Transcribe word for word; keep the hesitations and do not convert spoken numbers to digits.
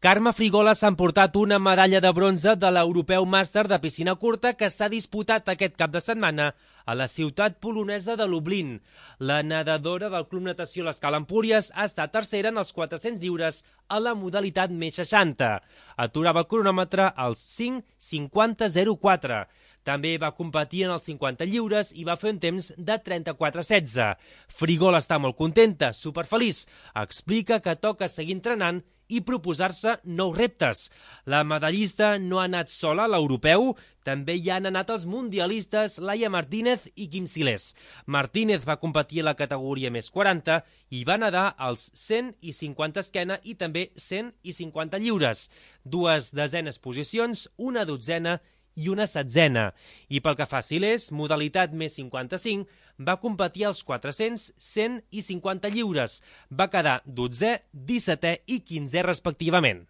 Carme Frigola s'ha emportat una medalla de bronze de l'Europeu Màster de piscina curta que s'ha disputat aquest cap de setmana a la ciutat polonesa de Lublin. La nedadora del Club Natació l'Escala Empúries ha estat tercera en els quatre-cents lliures a la modalitat més seixanta. Aturava el cronòmetre als cinc cinquanta zero quatre. També va competir en els cinquanta lliures i va fer un temps de trenta-quatre setze. Frigola està molt contenta, superfeliç. Explica que toca seguir entrenant i proposar-se nous reptes. La medallista no ha anat sola a l'europeu, també hi han anat els mundialistes Laia Martínez i Quim Silés. Martínez va competir a la categoria més quaranta i va nedar als cent i cinquanta esquena i també cent i cinquanta lliures. Dues desenes posicions, una dotzena i una setzena. I pel que fa a Silés, modalitat més cinquanta-cinc, va competir als quatre-cents, cent i cinquanta lliures. Va quedar dotzè, dissetè i quinzè respectivament.